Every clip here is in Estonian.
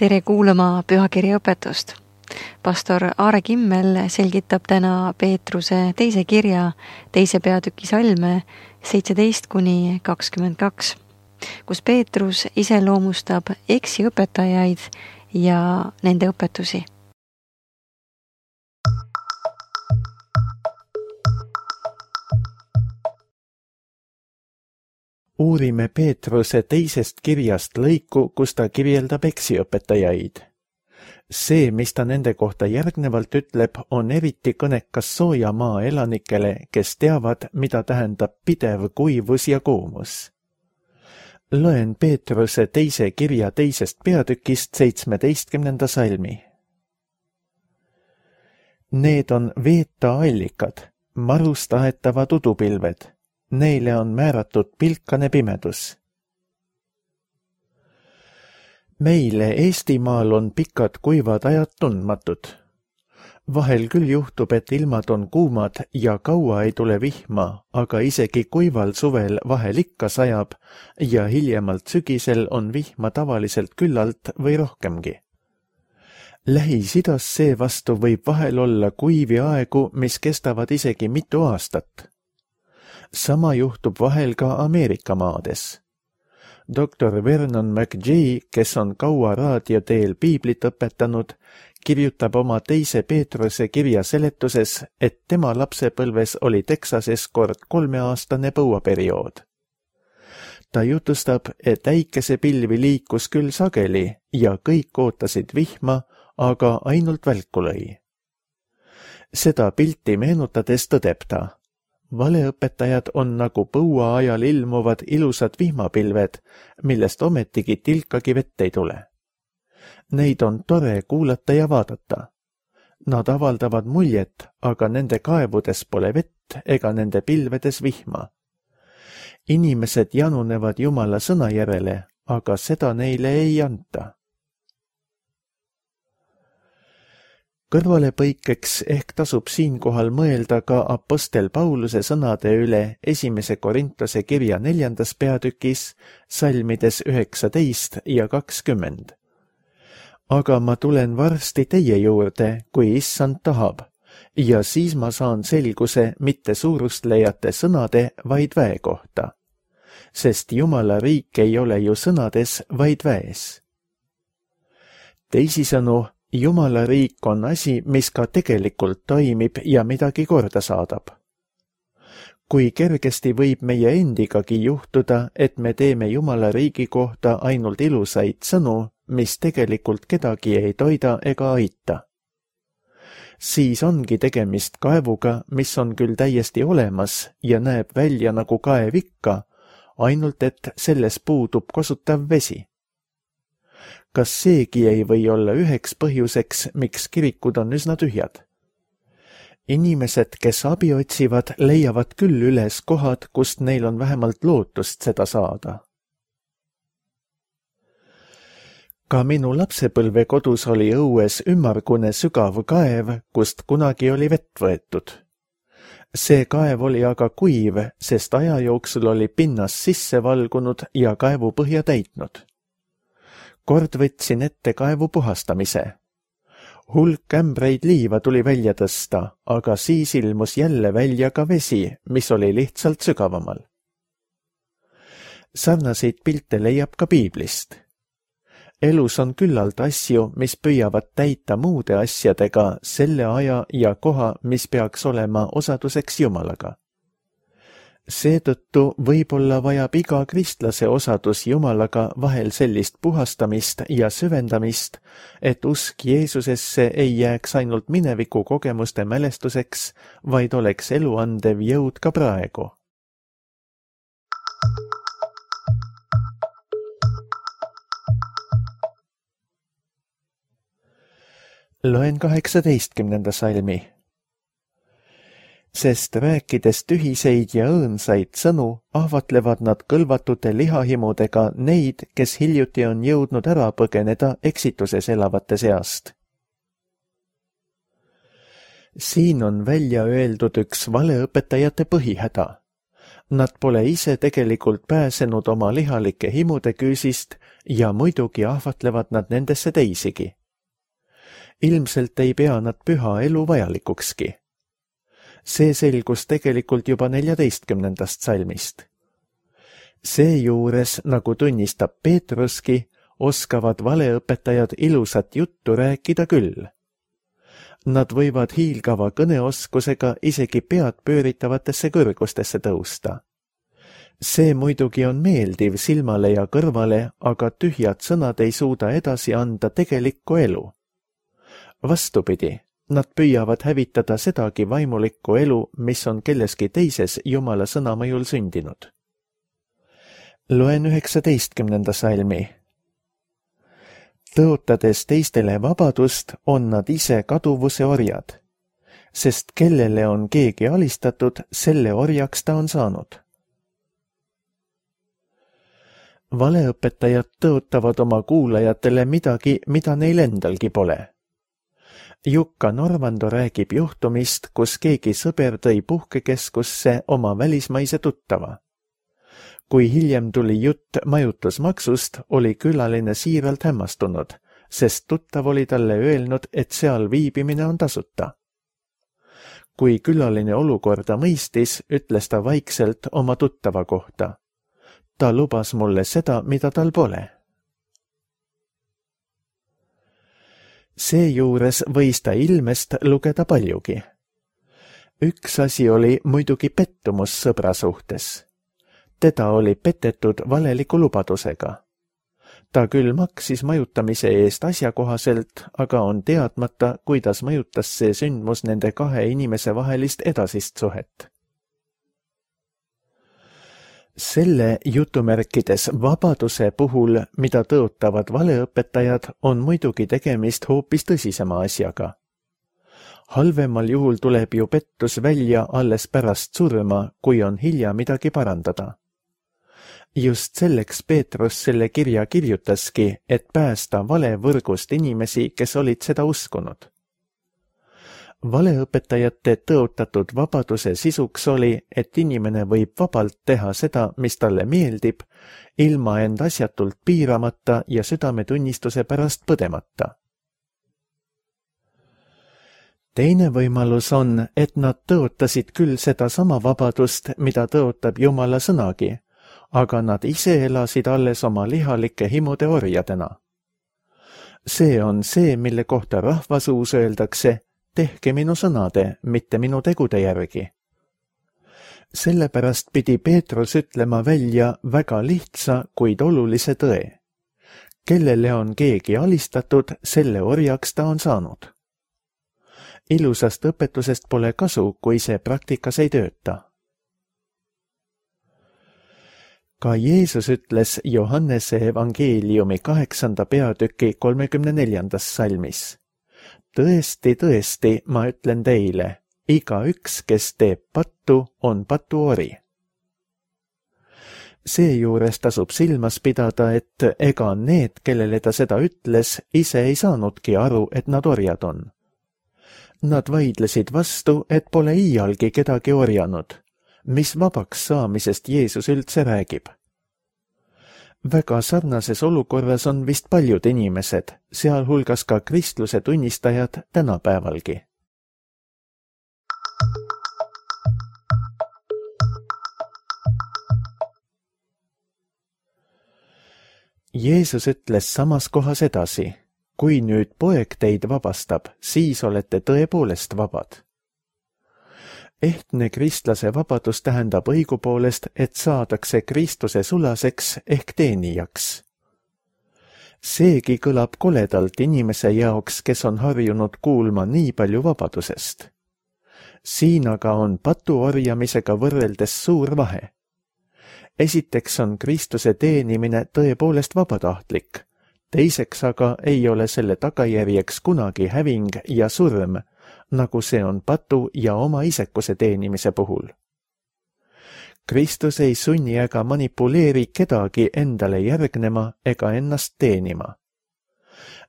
Tere kuulama pühakirja õpetust. Pastor Aare Kimmel selgitab täna Peetruse teise kirja 2. peatüki salme 17-22, kus Peetrus iseloomustab eksiõpetajaid ja nende õpetusi. Uurime Peetruse teisest kirjast lõiku, kus ta kirjeldab eksiõpetajaid. See, mis ta nende kohta järgnevalt ütleb, on eriti kõnekas sooja maa elanikele, kes teavad, mida tähendab pidev kuivus ja kuumus. Loen Peetruse teise kirja 2. peatükist 17. salmi. Need on veeta allikad, marust aetavad udupilved. Neile on määratud pilkane pimedus. Meile Eestimaal on pikad kuivad ajad tundmatud. Vahel küll juhtub, et ilmad on kuumad ja kaua ei tule vihma, aga isegi kuival suvel vahel ikka sajab ja hiljemalt sügisel on vihma tavaliselt küllalt või rohkemgi. Lähis-Idas seevastu võib vahel olla kuivi aegu, mis kestavad isegi mitu aastat. Sama juhtub vahel ka Ameerika maades. Dr. Vernon McGee, kes on kaua raadio teel piiblit õpetanud, kirjutab oma 2. Peetruse kirja seletuses, et tema lapsepõlves oli Texases kord 3-aastane põuaperiood. Ta jutustab, et äikesepilvi liikus küll sageli ja kõik ootasid vihma, aga ainult välku lõi. Seda pilti meenutades tõdeb ta. Valeõpetajad on nagu põua ajal ilmuvad ilusad vihmapilved, millest ometigi tilkagi vett ei tule. Neid on tore kuulata ja vaadata. Nad avaldavad muljet, aga nende kaevudes pole vett ega nende pilvedes vihma. Inimesed janunevad Jumala sõna järele, aga seda neile ei anta. Kõrvalepõikeks ehk tasub siinkohal mõelda ka apostel Pauluse sõnade üle 1. Korintuse kirja 4. peatükis, salmides 19 ja 20. Aga ma tulen varsti teie juurde, kui issand tahab, ja siis ma saan selguse mitte suurustlejate sõnade, vaid väe kohta. Sest Jumala riik ei ole ju sõnades, vaid väes. Teisisõnu, Jumala riik on asi, mis ka tegelikult toimib ja midagi korda saadab. Kui kergesti võib meie endigagi juhtuda, et me teeme Jumala riigi kohta ainult ilusaid sõnu, mis tegelikult kedagi ei toida ega aita. Siis ongi tegemist kaevuga, mis on küll täiesti olemas ja näeb välja nagu kaev ikka, ainult et selles puudub kosutav vesi. Kas seegi ei või olla üheks põhjuseks, miks kirikud on üsna tühjad? Inimesed, kes abi otsivad, leiavad küll üles kohad, kust neil on vähemalt lootust seda saada. Ka minu lapsepõlve kodus oli õues ümmargune sügav kaev, kust kunagi oli vett võetud. See kaev oli aga kuiv, sest aja jooksul oli pinnas sisse valgunud ja kaevu põhja täitnud. Kord võtsin ette kaevu puhastamise. Hulk ämbreid liiva tuli välja tõsta, aga siis ilmus jälle välja ka vesi, mis oli lihtsalt sügavamal. Sarnaseid pilte leiab ka piiblist. Elus on küllalt asju, mis püüavad täita muude asjadega selle aja ja koha, mis peaks olema osaduseks Jumalaga. Seetõttu võib-olla vajab iga kristlase osadus Jumalaga vahel sellist puhastamist ja süvendamist, et usk Jeesusesse ei jääks ainult mineviku kogemuste mälestuseks, vaid oleks eluandev jõud ka praegu. Loen 18. salmi. Sest rääkides tühiseid ja õõnsaid sõnu, ahvatlevad nad kõlvatute lihahimudega neid, kes hiljuti on jõudnud ära põgeneda eksituses elavate seast. Siin on välja öeldud üks valeõpetajate põhihäda. Nad pole ise tegelikult pääsenud oma lihalike himude küüsist ja muidugi ahvatlevad nad nendesse teisigi. Ilmselt ei pea nad püha elu vajalikukski. See selgus tegelikult juba 14. salmist. Seejuures, nagu tunnistab Peetruski, oskavad valeõpetajad ilusat juttu rääkida küll. Nad võivad hiilgava kõneoskusega isegi pead pööritavatesse kõrgustesse tõusta. See muidugi on meeldiv silmale ja kõrvale, aga tühjad sõnad ei suuda edasi anda tegelikku elu. Vastupidi, nad püüavad hävitada sedagi vaimulikku elu, mis on kelleski teises Jumala sõna mõjul sündinud. Loen 19. salmi. Tõotades teistele vabadust, on nad ise kaduvuse orjad, sest kellele on keegi alistatud, selle orjaks ta on saanud. Valeõpetajad tõotavad oma kuulajatele midagi, mida neil endalgi pole. Jukka Norvando räägib juhtumist, kus keegi sõber tõi puhkekeskusse oma välismaise tuttava. Kui hiljem tuli jutt majutusmaksust, oli külaline siiralt hämmastunud, sest tuttav oli talle öelnud, et seal viibimine on tasuta. Kui külaline olukorda mõistis, ütles ta vaikselt oma tuttava kohta. Ta lubas mulle seda, mida tal pole. Seejuures võis ta ilmest lugeda paljugi. Üks asi oli muidugi pettumus sõbra suhtes. Teda oli petetud valeliku lubadusega. Ta küll maksis majutamise eest asjakohaselt, aga on teadmata, kuidas mõjutas see sündmus nende kahe inimese vahelist edasist suhet. Selle jutumärkides vabaduse puhul, mida tõotavad valeõpetajad, on muidugi tegemist hoopis tõsisema asjaga. Halvemal juhul tuleb ju pettus välja alles pärast surma, kui on hilja midagi parandada. Just selleks Peetrus selle kirja kirjutaski, et päästa valevõrgust inimesi, kes olid seda uskunud. Valeõpetajate tõotatud vabaduse sisuks oli, et inimene võib vabalt teha seda, mis talle meeldib, ilma end asjatult piiramata ja südametunnistuse pärast põdemata. Teine võimalus on, et nad tõotasid küll seda sama vabadust, mida tõotab Jumala sõnagi, aga nad ise elasid alles oma lihalike himude orjadena. See on see, mille kohta rahvasuus öeldakse, tehke minu sõnade, mitte minu tegude järgi. Sellepärast pidi Peetrus ütlema välja väga lihtsa, kuid olulise tõe. Kellele on keegi alistatud, selle orjaks ta on saanud. Ilusast õpetusest pole kasu, kui see praktikas ei tööta. Ka Jeesus ütles Johannese evangeeliumi 8. peatüki 34. salmis. Tõesti, tõesti, ma ütlen teile, igaüks, kes teeb pattu, on patuori. Seejuures tasub silmas pidada, et ega need, kellele ta seda ütles, ise ei saanudki aru, et nad orjad on. Nad vaidlesid vastu, et pole iialgi kedagi orjanud. Mis vabaks saamisest Jeesus üldse räägib? Väga sarnases olukorras on vist paljud inimesed, sealhulgas ka kristluse tunnistajad tänapäevalgi. Jeesus ütles samas kohas edasi, kui nüüd poeg teid vabastab, siis olete tõepoolest vabad. Ehtne kristlase vabadus tähendab õigupoolest, et saadakse Kristuse sulaseks ehk teenijaks. Seegi kõlab koledalt inimese jaoks, kes on harjunud kuulma nii palju vabadusest. Siin aga on patuorjamisega võrreldes suur vahe. Esiteks on Kristuse teenimine tõepoolest vabatahtlik, teiseks aga ei ole selle tagajärjeks kunagi häving ja surm, nagu see on patu ja oma isekuse teenimise puhul. Kristus ei sunni ega manipuleeri kedagi endale järgnema ega ennast teenima.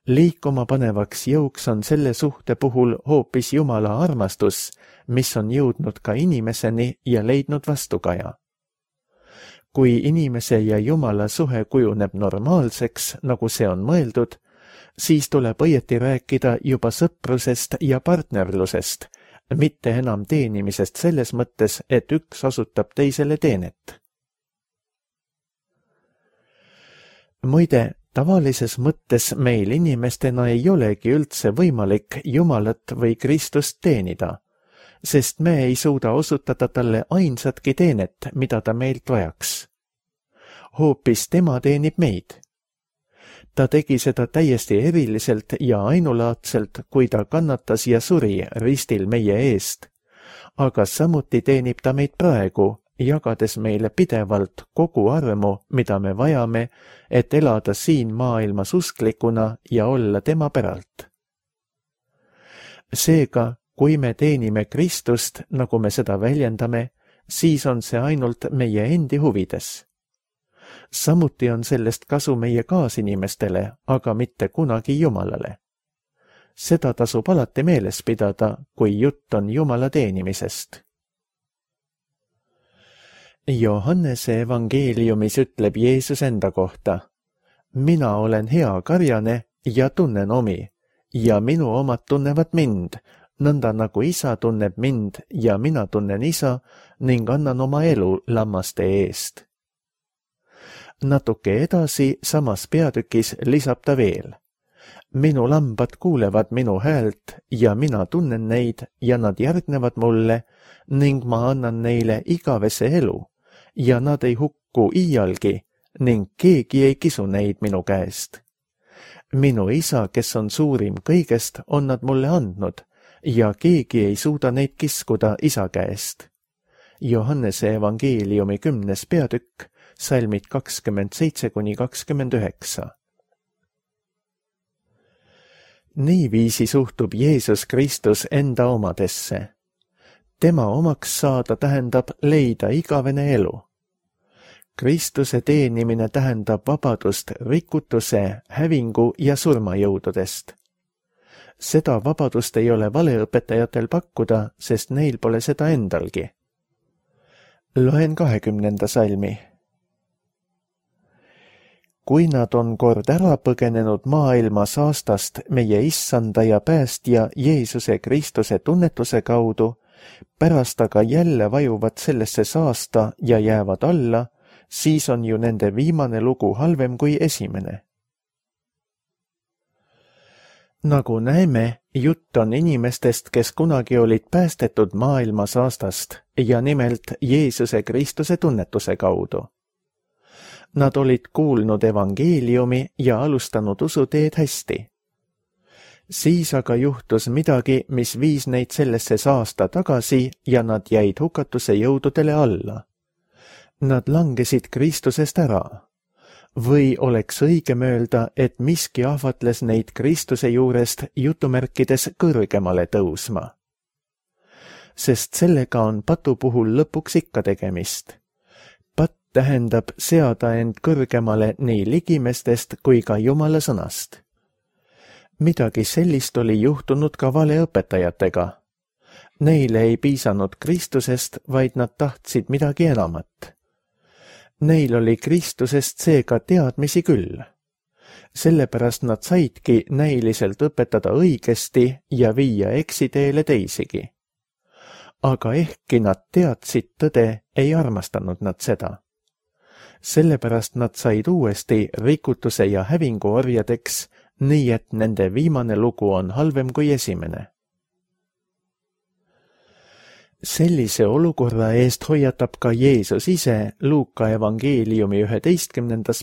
Liikuma panevaks jõuks on selle suhte puhul hoopis Jumala armastus, mis on jõudnud ka inimeseni ja leidnud vastukaja. kui inimese ja Jumala suhe kujuneb normaalseks, nagu see on mõeldud, siis tuleb õieti rääkida juba sõprusest ja partnerlusest, mitte enam teenimisest selles mõttes, et üks osutab teisele teenet. Muide, tavalises mõttes meil inimestena ei olegi üldse võimalik Jumalat või Kristust teenida, sest me ei suuda osutada talle ainsatki teenet, mida ta meilt vajaks. Hoopis tema teenib meid. Ta tegi seda täiesti eriliselt ja ainulaadselt, kui ta kannatas ja suri ristil meie eest, aga samuti teenib ta meid praegu, jagades meile pidevalt kogu armu, mida me vajame, et elada siin maailmas usklikuna ja olla tema päralt. Seega, kui me teenime Kristust, nagu me seda väljendame, siis on see ainult meie endi huvides. Samuti on sellest kasu meie kaasinimestele, aga mitte kunagi Jumalale. Seda tasub alati meeles pidada, kui jutt on Jumala teenimisest. Johannese evangeeliumis ütleb Jeesus enda kohta: mina olen hea karjane ja tunnen omi, ja minu omad tunnevad mind, nõnda nagu isa tunneb mind ja mina tunnen isa ning annan oma elu lammaste eest. Natuke edasi samas peatükis lisab ta veel: minu lambad kuulevad minu häält ja mina tunnen neid ja nad järgnevad mulle ning ma annan neile igavese elu ja nad ei hukku iialgi ning keegi ei kisu neid minu käest. Minu isa, kes on suurim kõigest, on nad mulle andnud ja keegi ei suuda neid kiskuda isa käest. Johannese evangeeliumi 10. peatükk, salmid 27–29. Niiviisi suhtub Jeesus Kristus enda omadesse. Tema omaks saada tähendab leida igavene elu. Kristuse teenimine tähendab vabadust rikutuse, hävingu ja surmajõududest. Seda vabadust ei ole valeõpetajatel pakkuda, sest neil pole seda endalgi. Loen 20. salmi. Kui nad on kord ära põgenenud maailma saastast meie issanda ja päästja Jeesuse Kristuse tunnetuse kaudu, pärast aga jälle vajuvad sellesse saasta ja jäävad alla, siis on ju nende viimane lugu halvem kui esimene. Nagu näeme, jutt on inimestest, kes kunagi olid päästetud maailma saastast ja nimelt Jeesuse Kristuse tunnetuse kaudu. Nad olid kuulnud evangeeliumi ja alustanud usuteed hästi. Siis aga juhtus midagi, mis viis neid sellesse saasta tagasi ja nad jäid hukatuse jõududele alla. Nad langesid Kristusest ära. Või oleks õigem öelda, et miski ahvatles neid Kristuse juurest jutumärkides kõrgemale tõusma. Sest sellega on patu puhul lõpuks ikka tegemist. Patt tähendab seada end kõrgemale nii ligimestest kui ka Jumala sõnast. Midagi sellist oli juhtunud ka valeõpetajatega. Neile ei piisanud Kristusest, vaid nad tahtsid midagi enamat. Neil oli Kristusest seega teadmisi küll. Sellepärast nad saidki näiliselt õpetada õigesti ja viia eksiteele teisigi. Aga ehkki nad teadsid tõde, ei armastanud nad seda. Sellepärast nad said uuesti rikutuse ja hävingu orjadeks, nii et nende viimane lugu on halvem kui esimene. Sellise olukorra eest hoiatab ka Jeesus ise Luuka evangeeliumi 11.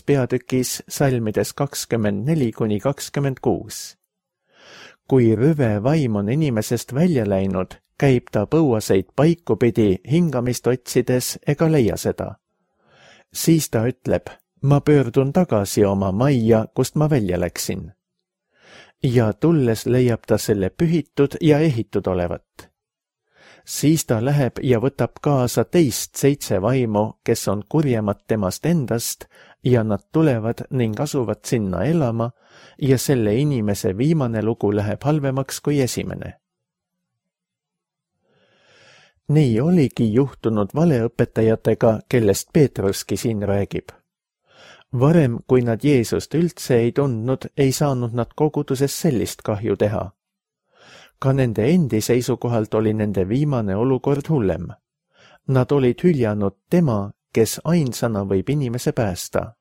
peatükis salmides 24–26. Kui rüve vaim on inimesest välja läinud, käib ta põuaseid paiku pidi hingamist otsides ega leia seda. Siis ta ütleb: ma pöördun tagasi oma majja, kust ma välja läksin. Ja tulles leiab ta selle pühitud ja ehitud olevat. Siis ta läheb ja võtab kaasa teist 7 vaimu, kes on kurjemad temast endast, ja nad tulevad ning asuvad sinna elama, ja selle inimese viimane lugu läheb halvemaks kui esimene. Nii oligi juhtunud valeõpetajatega, kellest Peetruski siin räägib. Varem, kui nad Jeesust üldse ei tundnud, ei saanud nad koguduses sellist kahju teha. Ka nende endi seisukohalt oli nende viimane olukord hullem. Nad olid hüljanud tema, kes ainsana võib inimese päästa.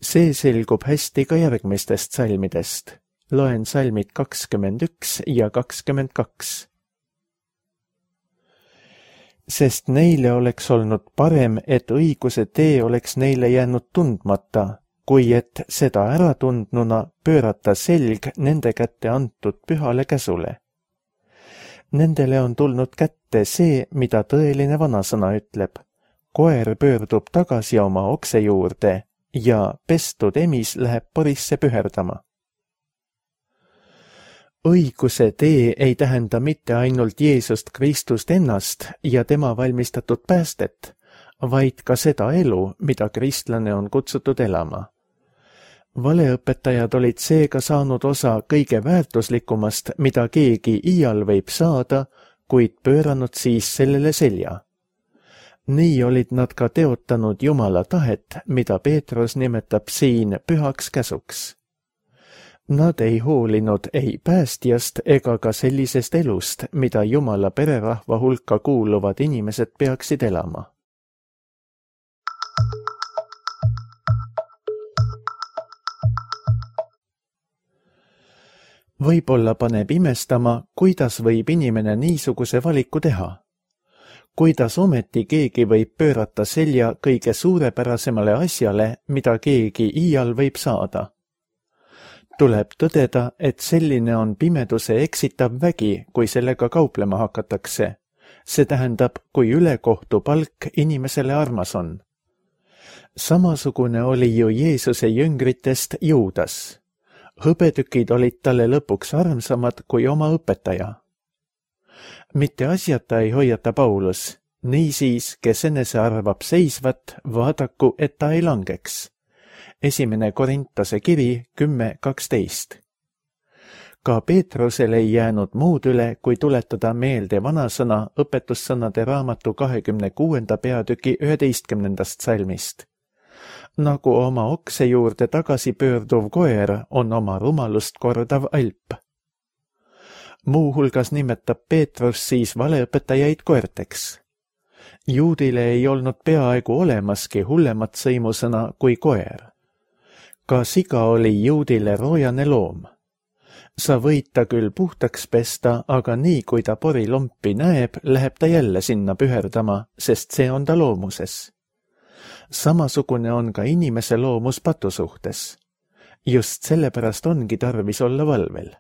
See selgub hästi ka järgmistest salmidest. Loen salmid 21 ja 22. Sest neile oleks olnud parem, et õiguse tee oleks neile jäänud tundmata, kui et seda ära tundnuna pöörata selg nende kätte antud pühale käsule. Nendele on tulnud kätte see, mida tõeline vanasõna ütleb. Koer pöördub tagasi oma okse juurde ja pestud emis läheb porisse püherdama. Õiguse tee ei tähenda mitte ainult Jeesust Kristust ennast ja tema valmistatud päästet, vaid ka seda elu, mida kristlane on kutsutud elama. Valeõpetajad olid seega saanud osa kõige väärtuslikumast, mida keegi iial võib saada, kuid pööranud siis sellele selja. Nii olid nad ka teotanud Jumala tahet, mida Peetrus nimetab siin pühaks käsuks. Nad ei hoolinud ei päästjast ega ka sellisest elust, mida Jumala pererahva hulka kuuluvad inimesed peaksid elama. Võib-olla paneb imestama, kuidas võib inimene niisuguse valiku teha. Kuidas ometi keegi võib pöörata selja kõige suurepärasemale asjale, mida keegi iial võib saada. Tuleb tõdeda, et selline on pimeduse eksitav vägi, kui sellega kauplema hakatakse. See tähendab, kui ülekohtu palk inimesele armas on. Samasugune oli ju Jeesuse jüngritest Juudas. Hõbetükid olid talle lõpuks armsamad kui oma õpetaja. Mitte asjata ei hoiata Paulus, niisiis, kes enese arvab seisvat, vaadaku, et ta ei langeks. 1. Korintase kiri 10:12. Ka Peetrusel ei jäänud muud üle, kui tuletada meelde vanasõna õpetussõnade raamatu 26. peatüki 11. salmist. Nagu oma okse juurde tagasi pöörduv koer on oma rumalust kordav alp. Muuhulgas nimetab Peetrus siis valeõpetajaid koerteks. Juudile ei olnud peaaegu olemaski hullemat sõimusõna kui koer. Ka siga oli juudile roojane loom. Sa võid ta küll puhtaks pesta, aga nii kui ta porilompi näeb, läheb ta jälle sinna püherdama, sest see on ta loomuses. Samasugune on ka inimese loomus patu suhtes. Just sellepärast ongi tarvis olla valvel.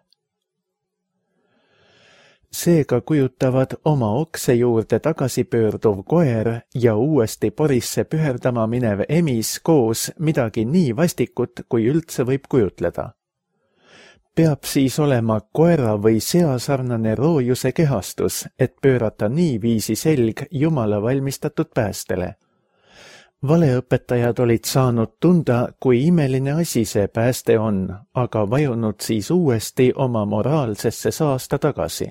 Seega kujutavad oma okse juurde tagasi pöörduv koer ja uuesti porisse püherdama minev emis koos midagi nii vastikut, kui üldse võib kujutleda. Peab siis olema koera või sea sarnane roojuse kehastus, et pöörata niiviisi selg Jumala valmistatud päästele. Valeõpetajad olid saanud tunda, kui imeline asi see pääste on, aga vajunud siis uuesti oma moraalsesse saasta tagasi.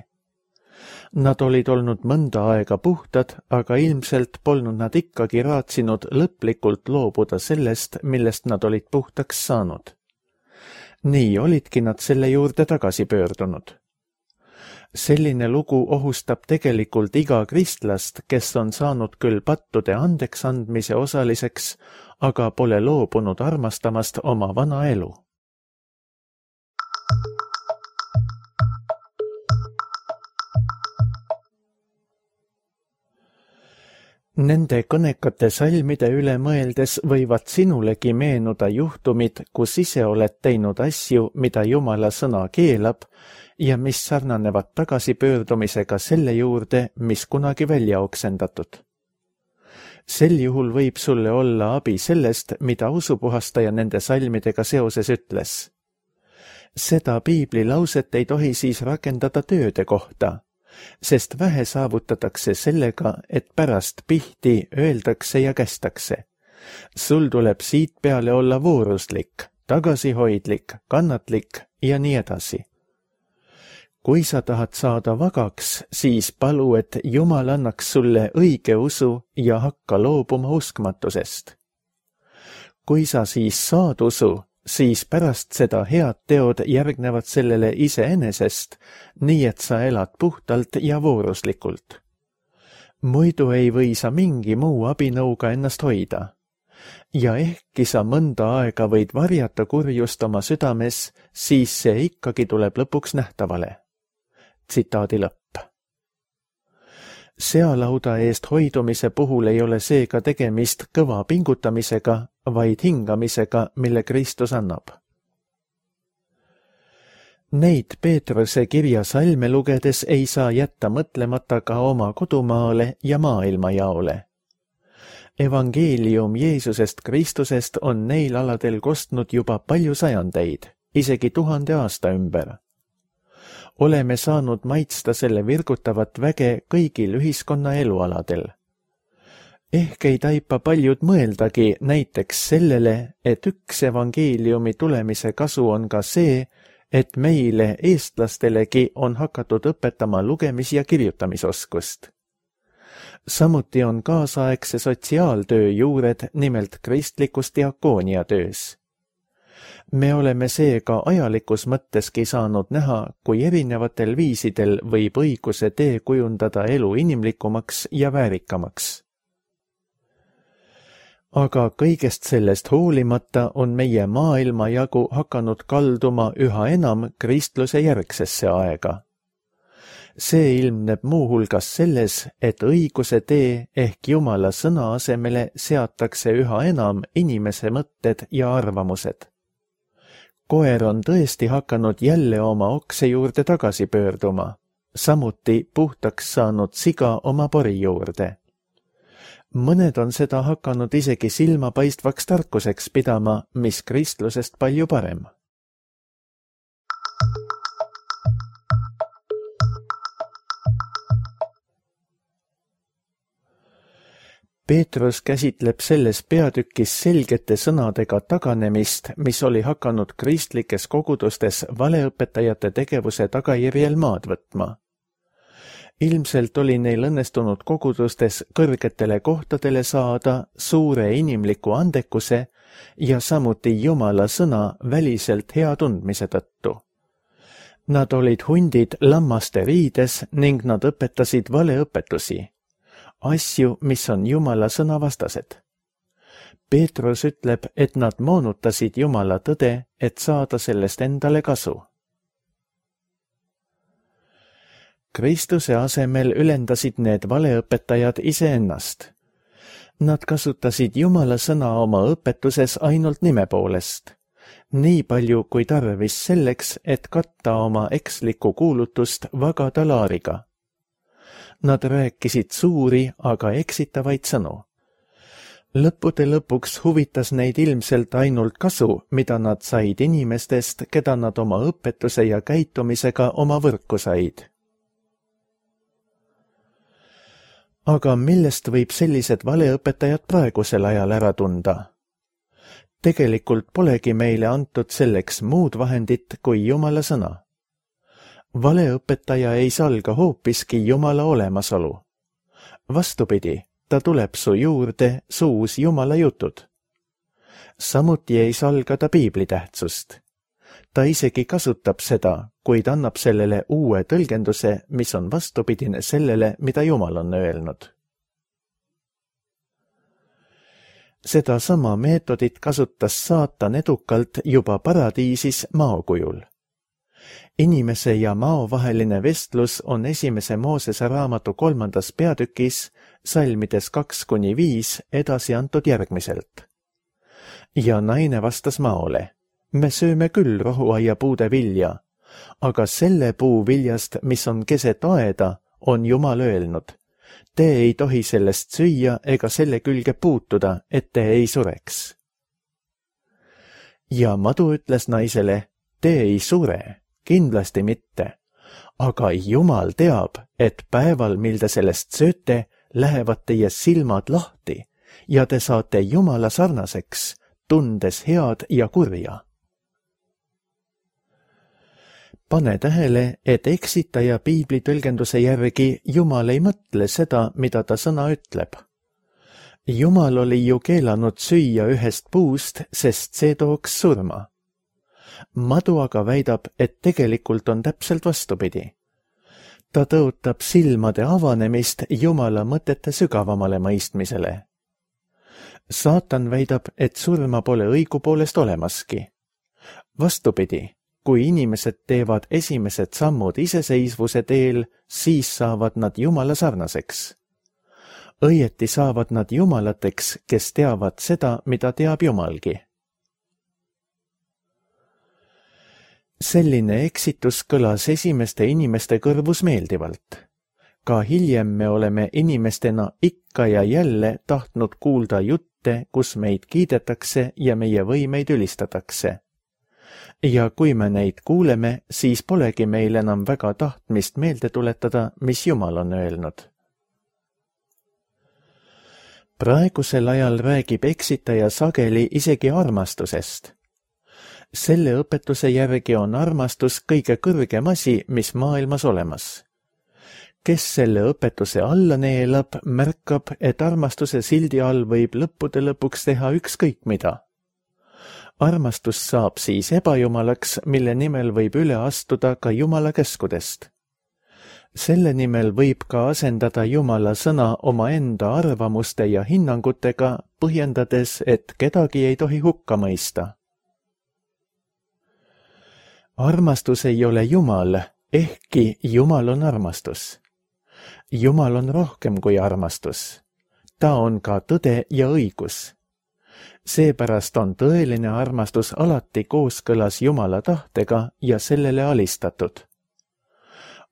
Nad olid olnud mõnda aega puhtad, aga ilmselt polnud nad ikkagi raatsinud lõplikult loobuda sellest, millest nad olid puhtaks saanud. Nii olidki nad selle juurde tagasi pöördunud. Selline lugu ohustab tegelikult iga kristlast, kes on saanud küll pattude andeks andmise osaliseks, aga pole loobunud armastamast oma vana elu. Nende kõnekate salmide üle mõeldes võivad sinulegi meenuda juhtumid, kus ise oled teinud asju, mida Jumala sõna keelab ja mis sarnanevad tagasipöördumisega selle juurde, mis kunagi välja oksendatud. Sel juhul võib sulle olla abi sellest, mida usupuhastaja nende salmidega seoses ütles. Seda piiblilauset ei tohi siis rakendada tööde kohta, sest vähe saavutatakse sellega, et pärast pihti öeldakse ja kästakse. Sul tuleb siit peale olla vooruslik, tagasihoidlik, kannatlik ja nii edasi. Kui sa tahad saada vagaks, siis palu, et Jumal annaks sulle õige usu ja hakka loobuma uskmatusest. Kui sa siis saad usu, siis pärast seda head teod järgnevad sellele iseenesest, nii et sa elad puhtalt ja vooruslikult. Muidu ei või sa mingi muu abinõuga ennast hoida. Ja ehkki sa mõnda aega võid varjata kurjust oma südames, siis see ikkagi tuleb lõpuks nähtavale. Tsitaadi lõpp. Sealauda eest hoidumise puhul ei ole seega tegemist kõva pingutamisega, vaid hingamisega, mille Kristus annab. Neid Peetruse kirja salme lugedes ei saa jätta mõtlemata ka oma kodumaale ja maailmajaole. Evangeelium Jeesusest Kristusest on neil aladel kostnud juba palju sajandeid, isegi 1000 aasta ümber. Oleme saanud maitsta selle virgutavat väge kõigil ühiskonna elualadel. Ehk ei taipa paljud mõeldagi näiteks sellele, et üks evangeeliumi tulemise kasu on ka see, et meile, eestlastelegi, on hakatud õpetama lugemis- ja kirjutamisoskust. Samuti on kaasaegse sotsiaaltöö juured nimelt kristlikus diakooniatöös. Me oleme seega ajalikus mõtteski saanud näha, kui erinevatel viisidel võib õiguse tee kujundada elu inimlikumaks ja väärikamaks. Aga kõigest sellest hoolimata on meie maailmajagu hakanud kalduma üha enam kristluse järgsesse aega. See ilmneb muuhulgas selles, et õiguse tee ehk Jumala sõna asemele seatakse üha enam inimese mõtted ja arvamused. Koer on tõesti hakanud jälle oma okse juurde tagasi pöörduma, samuti puhtaks saanud siga oma pori juurde. Mõned on seda hakanud isegi silmapaistvaks tarkuseks pidama, mis kristlusest palju parem. Peetrus käsitleb selles peatükis selgete sõnadega taganemist, mis oli hakanud kristlikes kogudustes valeõpetajate tegevuse tagajärjel maad võtma. Ilmselt oli neil õnnestunud kogudustes kõrgetele kohtadele saada suure inimliku andekuse ja samuti Jumala sõna väliselt hea tundmise tõttu. Nad olid hundid lammaste riides ning nad õpetasid valeõpetusi, asju, mis on Jumala sõna vastased. Peetrus ütleb, et nad moonutasid Jumala tõde, et saada sellest endale kasu. Kristuse asemel ülendasid need valeõpetajad iseennast. Nad kasutasid Jumala sõna oma õpetuses ainult nime poolest, nii palju kui tarvis selleks, et katta oma ekslikku kuulutust vaga talaariga. Nad rääkisid suuri, aga eksitavaid sõnu. Lõppude lõpuks huvitas neid ilmselt ainult kasu, mida nad said inimestest, keda nad oma õpetuse ja käitumisega oma võrku said. Aga millest võib sellised valeõpetajad praegusel ajal ära tunda? Tegelikult polegi meile antud selleks muud vahendit kui Jumala sõna. Valeõpetaja ei salga hoopiski Jumala olemasolu. Vastupidi, ta tuleb su juurde suus Jumala jutud. Samuti ei salga ta piibli tähtsust. Ta isegi kasutab seda, kuid annab sellele uue tõlgenduse, mis on vastupidine sellele, mida Jumal on öelnud. Seda sama meetodit kasutas saatan edukalt juba paradiisis maokujul. Inimese ja mao vaheline vestlus on 1. Moosese raamatu 3. peatükis salmides 2-5 edasi antud järgmiselt. Ja naine vastas maole, me sööme küll rohuaiapuude vilja, aga selle puu viljast, mis on keset aeda, on Jumal öelnud, te ei tohi sellest süüa ega selle külge puutuda, et te ei sureks. Ja madu ütles naisele, te ei sure, kindlasti mitte, aga Jumal teab, et päeval, mil te sellest sööte, lähevad teie silmad lahti ja te saate Jumala sarnaseks, tundes head ja kurja. Pane tähele, et eksitaja piibli tõlgenduse järgi Jumal ei mõtle seda, mida ta sõna ütleb. Jumal oli ju keelanud süüa ühest puust, sest see tooks surma. Madu aga väidab, et tegelikult on täpselt vastupidi. Ta tõotab silmade avanemist Jumala mõtete sügavamale mõistmisele. Saatan väidab, et surma pole õigupoolest olemaski. Vastupidi, kui inimesed teevad esimesed sammud iseseisvuse teel, siis saavad nad Jumala sarnaseks. Õieti saavad nad jumalateks, kes teavad seda, mida teab Jumalgi. Selline eksitus kõlas esimeste inimeste kõrvus meeldivalt. Ka hiljem me oleme inimestena ikka ja jälle tahtnud kuulda jutte, kus meid kiidetakse ja meie võimeid ülistatakse. Ja kui me neid kuuleme, siis polegi meil enam väga tahtmist meelde tuletada, mis Jumal on öelnud. Praegusel ajal räägib eksitaja sageli isegi armastusest. Selle õpetuse järgi on armastus kõige kõrgem asi, mis maailmas olemas. Kes selle õpetuse alla neelab, märkab, et armastuse sildi all võib lõppude lõpuks teha ükskõik mida. Armastus saab siis ebajumalaks, mille nimel võib üle astuda ka Jumala käskudest. Selle nimel võib ka asendada Jumala sõna omaenda arvamuste ja hinnangutega, põhjendades, et kedagi ei tohi hukka mõista. Armastus ei ole Jumal, ehkki Jumal on armastus. Jumal on rohkem kui armastus. Ta on ka tõde ja õigus. Seepärast on tõeline armastus alati kooskõlas Jumala tahtega ja sellele alistatud.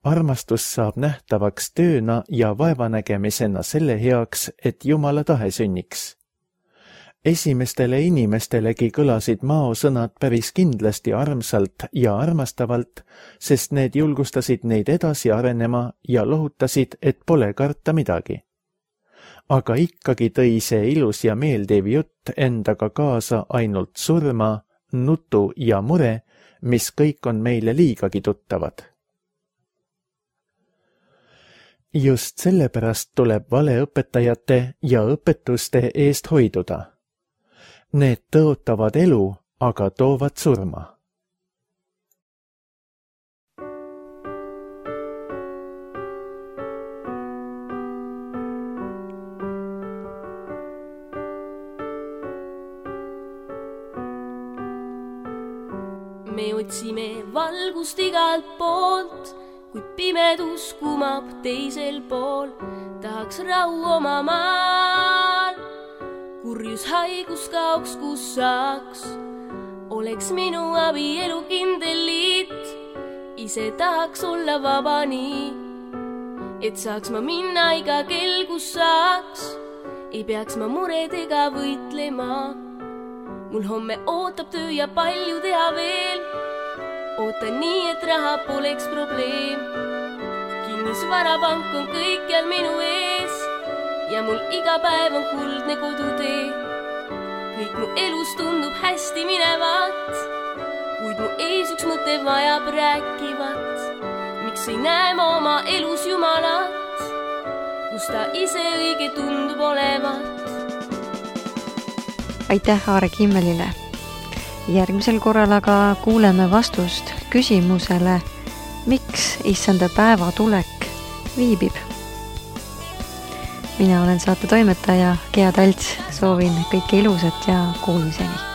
Armastus saab nähtavaks tööna ja vaevanägemisena selle heaks, et Jumala tahe sünniks. Esimestele inimestelegi kõlasid maosõnad päris kindlasti armsalt ja armastavalt, sest need julgustasid neid edasi arenema ja lohutasid, et pole karta midagi. Aga ikkagi tõi see ilus ja meeldiv jutt endaga kaasa ainult surma, nutu ja mure, mis kõik on meile liigagi tuttavad. Just sellepärast tuleb valeõpetajate ja õpetuste eest hoiduda. Need tõotavad elu, aga toovad surma. Me otsime valgust igalt poolt, kuid pimedus kumab teisel pool. Tahaks rahu oma maal, kurjus haigus kaoks, kus saaks. Oleks minu abielu kindel liit, ise tahaks olla vaba nii, et saaks ma minna iga kell, kus saaks. Ei peaks ma muredega võitlema. Mul homme ootab töö ja palju teha veel. Ootan nii, et raha poleks probleem. Kinnisvarapank on kõikjal minu ees ja mul iga päev on kuldne kodutee. Kõik mu elus tundub hästi minevat, kuid mu ees üks mõte vajab rääkivat. Miks ei näe ma oma elus Jumalat, kus ta ise õige tundub olevat? Aitäh Aare Kimmelile. Järgmisel korral aga kuuleme vastust küsimusele, miks issanda päeva tulek viibib. Mina olen saate toimetaja Gea Talts, soovin kõike ilusat ja kuulmiseni.